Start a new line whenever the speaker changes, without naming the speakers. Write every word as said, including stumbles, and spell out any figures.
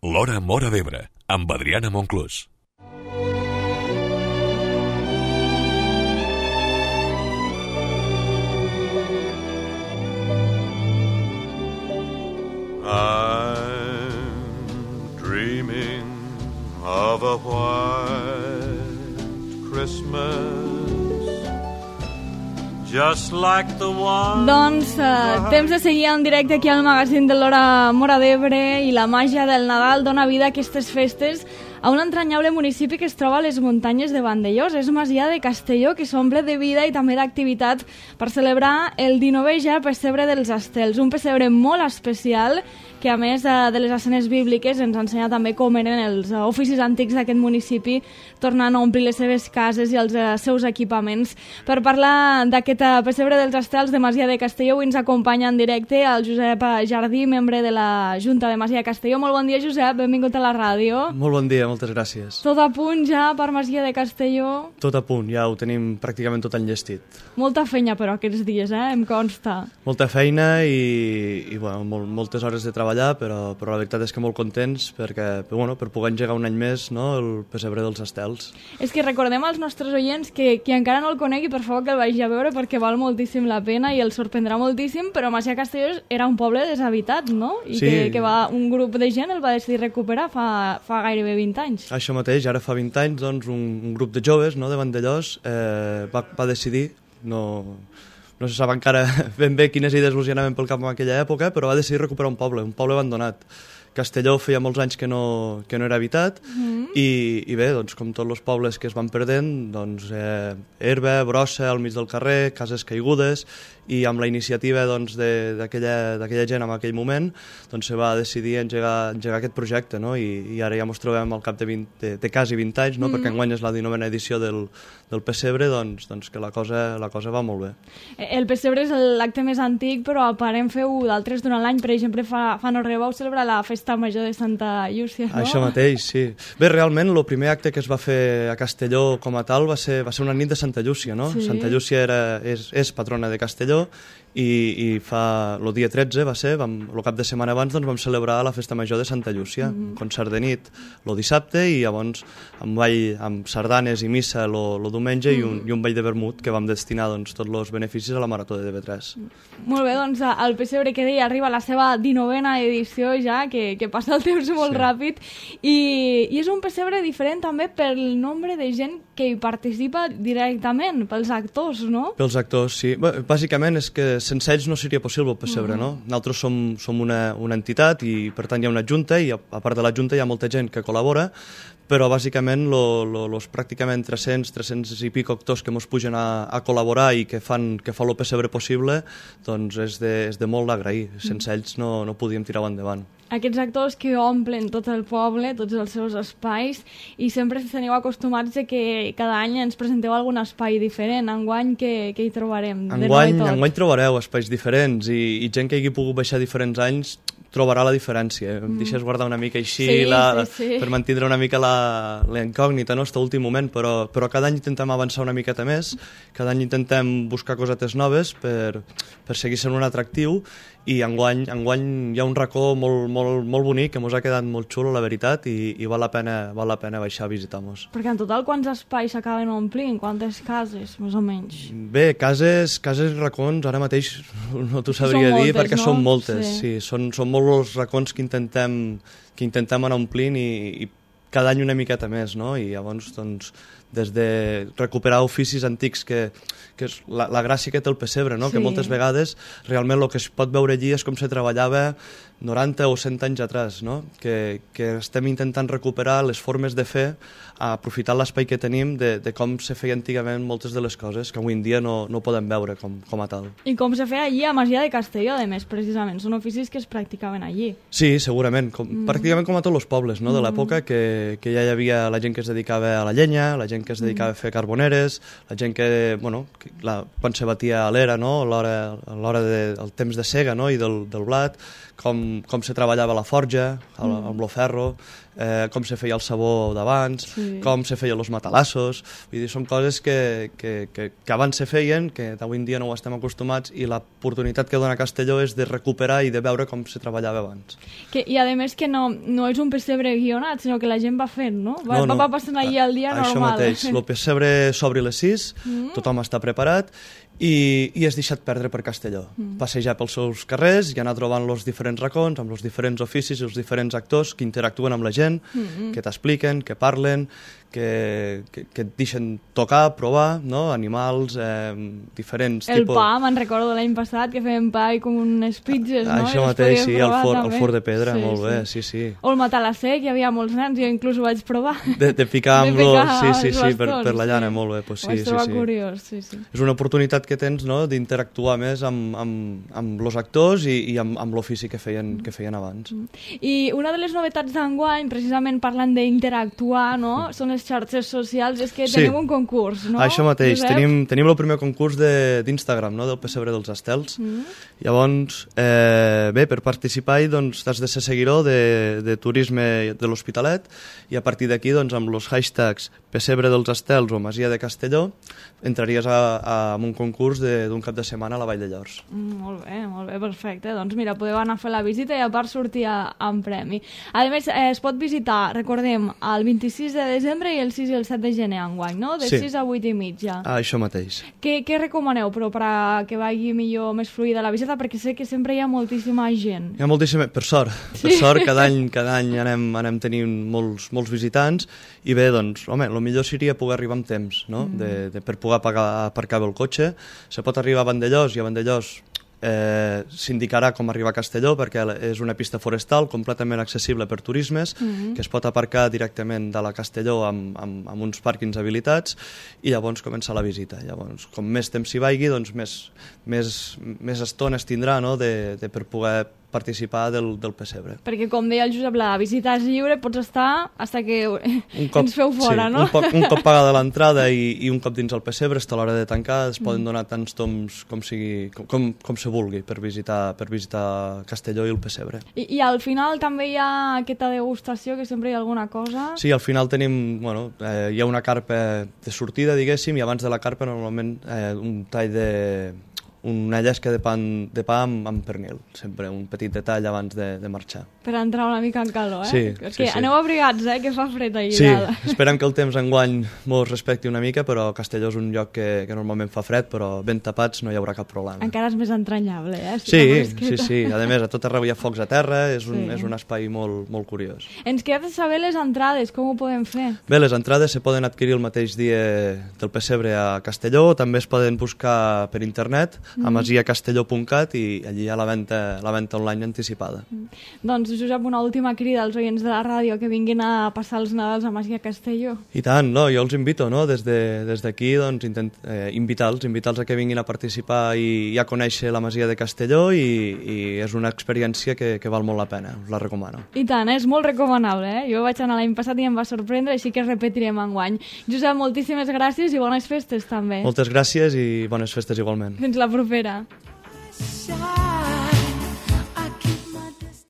L'Hora Móra d'Ebre, amb Adriana Monclús.
I'm dreaming of a white Christmas, just like the one...
Doncs eh, temps de seguir en directe aquí al magazín de l'Hora Móra d'Ebre, i la màgia del Nadal dona vida a aquestes festes a un entranyable municipi que es troba a les muntanyes de Vandellòs. És Masia de Castelló, que s'omple de vida i també d'activitat per celebrar el dinovè ja pessebre dels Estels, un pessebre molt especial que, a més de les escenes bíbliques, ens ensenya també com eren els oficis antics d'aquest municipi, tornant a omplir les seves cases i els seus equipaments. Per parlar d'aquest pessebre dels Estels de Masia de Castelló, avui ens acompanya en directe el Josep Jardí, membre de la Junta de Masia de Castelló. Molt bon dia, Josep, benvingut a la ràdio.
Molt bon dia, moltes gràcies.
Tot a punt ja per Masia de Castelló?
Tot a punt, ja ho tenim pràcticament tot enllestit.
Molta feina, però, aquests dies, eh? Em consta.
Molta feina i, i bueno, molt, moltes hores de treballar, però, però la veritat és que molt contents perquè, bueno, per poder engegar un any més, no, el pessebre dels Estels.
És que recordem als nostres oients que qui encara no el conegui, per favor que el vagi a veure, perquè val moltíssim la pena i el sorprendrà moltíssim, però Masia de Castelló era un poble deshabitat, no? I
sí.
que, que va, un grup de gent el va decidir recuperar fa, fa gairebé vint anys.
Això mateix, ara fa vint anys, doncs, un, un grup de joves, no, de Vandellòs eh, va, va decidir, no, no se sap encara ben bé quines idees els anaven pel cap en aquella època, però va decidir recuperar un poble, un poble abandonat. Castelló feia molts anys que no, que no era habitat, mm. i, i bé, doncs, com tots els pobles que es van perdent, doncs, eh, herba, brossa al mig del carrer, cases caigudes, i amb la iniciativa doncs, d'aquella gent en aquell moment doncs, se va decidir engegar, engegar aquest projecte, no? I, i ara ja ens trobem al cap de, vint, de, de quasi vint anys, no? Mm. Perquè enguany és la dinovena edició del, del pessebre, doncs, doncs que la cosa, la cosa va molt bé.
El pessebre és l'acte més antic, però a part en feu d'altres durant l'any. Per exemple, fa, fa no res vau celebrar la festa major de Santa Llúcia, no?
Això mateix, sí. Bé, realment, el primer acte que es va fer a Castelló com a tal va ser, va ser una nit de Santa Llúcia, no? Sí. Santa Llúcia era, és, és patrona de Castelló, i, i fa el dia tretze va ser, vam, el cap de setmana abans doncs, vam celebrar la festa major de Santa Llúcia, mm. concert de nit el dissabte i llavors amb, ball, amb sardanes i missa el diumenge, mm. i, un, i un ball de vermut que vam destinar doncs, tots els beneficis a la Marató de D B tres.
Molt bé, doncs el pessebre que deia arriba a la seva dinovena edició ja, que, que passa el temps molt sí. ràpid, i, i és un pessebre diferent també pel nombre de gent que hi participa directament, pels actors, no?
Pels actors, sí. Bé, bàsicament és que sense ells no seria possible el pessebre, mm. no? Nosaltres som, som una, una entitat i per tant hi ha una junta i a, a part de la junta hi ha molta gent que col·labora, però bàsicament els pràcticament tres-cents, tres-cents i pico actors que ens pugen a, a col·laborar i que fan que fa el pessebre possible, doncs és de, és de molt d'agrair. Sense mm. ells no, no podíem tirar endavant.
Aquests actors que omplen tot el poble, tots els seus espais, i sempre teniu acostumats a que cada any ens presenteu algun espai diferent. Enguany, què, què hi trobarem?
Enguany, enguany trobareu espais diferents i, i gent que hagi pogut baixar diferents anys trobarà la diferència. Em mm. deixes guardar una mica així
sí,
la,
sí, sí.
per mantindre una mica la, la incògnita, no?, fins a l'últim moment, però, però cada any intentem avançar una miqueta més, cada any intentem buscar cosetes noves per, per seguir sent un atractiu, i enguany, enguany hi ha un racó molt, molt, molt bonic que ens ha quedat molt xulo, la veritat, i, i val la pena, val la pena baixar a visitar-nos.
Perquè en total quants espais s'acaben omplint? Quantes cases, més o menys?
Bé, cases, cases i racons ara mateix no t'ho sabria dir,
moltes,
perquè
no?
són moltes, sí.
Sí.
Són, són molts els racons que intentem, que intentem anar omplint i, i cada any una miqueta més, no? I llavors, doncs, des de recuperar oficis antics que, que és la, la gràcia que té el pessebre, no? Sí. Que moltes vegades realment el que es pot veure allí és com se treballava noranta o cent anys atrás, no? Que, que estem intentant recuperar les formes de fer, aprofitar l'espai que tenim de, de com se feia antigament moltes de les coses que avui en dia no, no podem veure com, com a tal.
I com se feia allí a Masia de Castelló, a més, precisament. Són oficis que es practicaven allí.
Sí, segurament. Com, mm. Pràcticament com a tots els pobles, no?, de l'època, que, que ja hi havia la gent que es dedicava a la llenya, la gent que es dedicava mm. a fer carboneres, la gent que, bueno, que la, quan se batia a l'era, no?, a l'hora de, al temps de sega, no?, i del, del blat, com, com se treballava la forja, el, mm. amb el ferro, eh, com se feia el sabó d'abans, sí. com se feien els matalassos. Vull dir, són coses que, que, que, que abans se feien, que d'avui en dia no ho estem acostumats, i l'oportunitat que dona Castelló és de recuperar i de veure com se treballava abans.
Que, I a més que no, no és un pessebre guionat, sinó que la gent va fent, no? Va, no, no. va passant allà el dia
Això
normal.
Això mateix, el pessebre s'obre a les sis, mm. tothom està preparat, i, i és deixat perdre per Castelló. Mm. Passejar pels seus carrers i anar trobant els diferents racons, amb els diferents oficis i els diferents actors que interactuen amb la gent, mm-hmm. que t'expliquen, que parlen, que, que, que et deixen tocar, provar, no? Animals, eh, diferents
el
tipus...
El pa, me'n recordo l'any passat, que fèiem pa i com unes pizzas, no?
Això mateix, sí, el for, el for de pedra, sí, molt sí. bé, sí, sí.
O el matalasser, que hi havia molts nens, jo inclús ho vaig provar.
De, de picar amb lo... Sí, sí, sí, per, per la llana, sí. molt bé, pues sí, sí, sí.
curiós, sí, sí.
És una oportunitat que tens, no?, d'interactuar més amb, amb, amb els actors i, i amb, amb l'ofici que feien, que feien abans.
I una de les novetats d'enguany, precisament parlant d'interactuar, no?, són les xarxes socials, és que sí. tenim un concurs, no?
Això mateix, Josep? tenim, tenim el primer concurs d'Instagram, no?, del Pessebre dels Estels. Mm. Llavors, eh, bé, per participar-hi, doncs, has de ser seguidor de, de turisme de l'Hospitalet, i a partir d'aquí, doncs, amb els hashtags Pessebre dels Estels o Masia de Castelló, entraries a, a, a un concurs d'un cap de setmana a la Vall de Llors.
Mm, molt bé, molt bé, perfecte. Doncs mira, podeu anar a fer la visita i a part sortir a, amb premi. A més, eh, es pot visitar, recordem, el vint-i-sis de desembre i el sis i el set de gener enguany, no? De
sí.
sis a vuit i mitja.
Ah, això mateix.
Què, què recomaneu, però, per a que vagi millor, més fluida la visita? Perquè sé que sempre hi ha moltíssima gent.
Hi ha moltíssima... Per sort. Sí. Per sort, cada any, cada any anem, anem tenint molts, molts visitants, i bé, doncs, home, el millor seria poder arribar amb temps, no? Mm. De, de, per poder pagar, aparcar bé el cotxe. Se pot arribar a Vandellós, i a Vandellós eh, s'indicarà com arribar a Castelló, perquè és una pista forestal completament accessible per turismes, mm-hmm. que es pot aparcar directament de la Castelló amb, amb, amb uns pàrquings habilitats, i llavors comença la visita. Llavors, com més temps s'hi vagi, doncs més, més, més estona es tindrà, no?, de, de per poder participar del, del pessebre.
Perquè, com deia el Josep, la visita és lliure, pots estar fins que un cop, ens feu fora,
sí,
no?
Un, poc, un cop pagada l'entrada i, i un cop dins el pessebre, està a l'hora de tancar, es poden donar tants toms com, sigui, com, com, com se vulgui per visitar, per visitar Castelló i el pessebre.
I, I al final també hi ha aquesta degustació, que sempre hi ha alguna cosa?
Sí, al final tenim, bueno, eh, hi ha una carpa de sortida, diguéssim, i abans de la carpa normalment eh, un tall de... una llesca de pa, de pa amb, amb pernil, sempre un petit detall abans de, de marxar.
Per entrar una mica en calor, eh?
Sí,
és
sí,
que
sí.
Aneu abrigats, eh? Que fa fred allà.
Sí, esperem que el temps enguany mos respecti una mica, però Castelló és un lloc que, que normalment fa fred, però ben tapats no hi haurà cap problema.
Encara és més entranyable, eh?
Si sí, sí, sí. A més, a tot arreu hi ha focs a terra, és un, sí. és un espai molt, molt curiós.
Ens queda de saber les entrades, com ho podem fer?
Bé, les entrades se poden adquirir el mateix dia del pessebre a Castelló, també es poden buscar per internet, mm. a masia castelló punt cat, i allí hi ha la venda, la venda online anticipada. Mm.
Doncs, Josep, una última crida als oients de la ràdio que vinguin a passar els Nadals a Masia Castelló. I
tant, no? Jo els invito, no? Des de, des d'aquí, doncs, intent, eh, invitar-los, invitar-los a que vinguin a participar i, i a conèixer la Masia de Castelló, i, i és una experiència que, que val molt la pena, us la recomano.
I tant, és molt recomanable, eh? Jo vaig anar l'any passat i em va sorprendre, així que repetirem enguany. Josep, moltíssimes gràcies i bones festes també.
Moltes gràcies i bones festes igualment.
Fins la propera.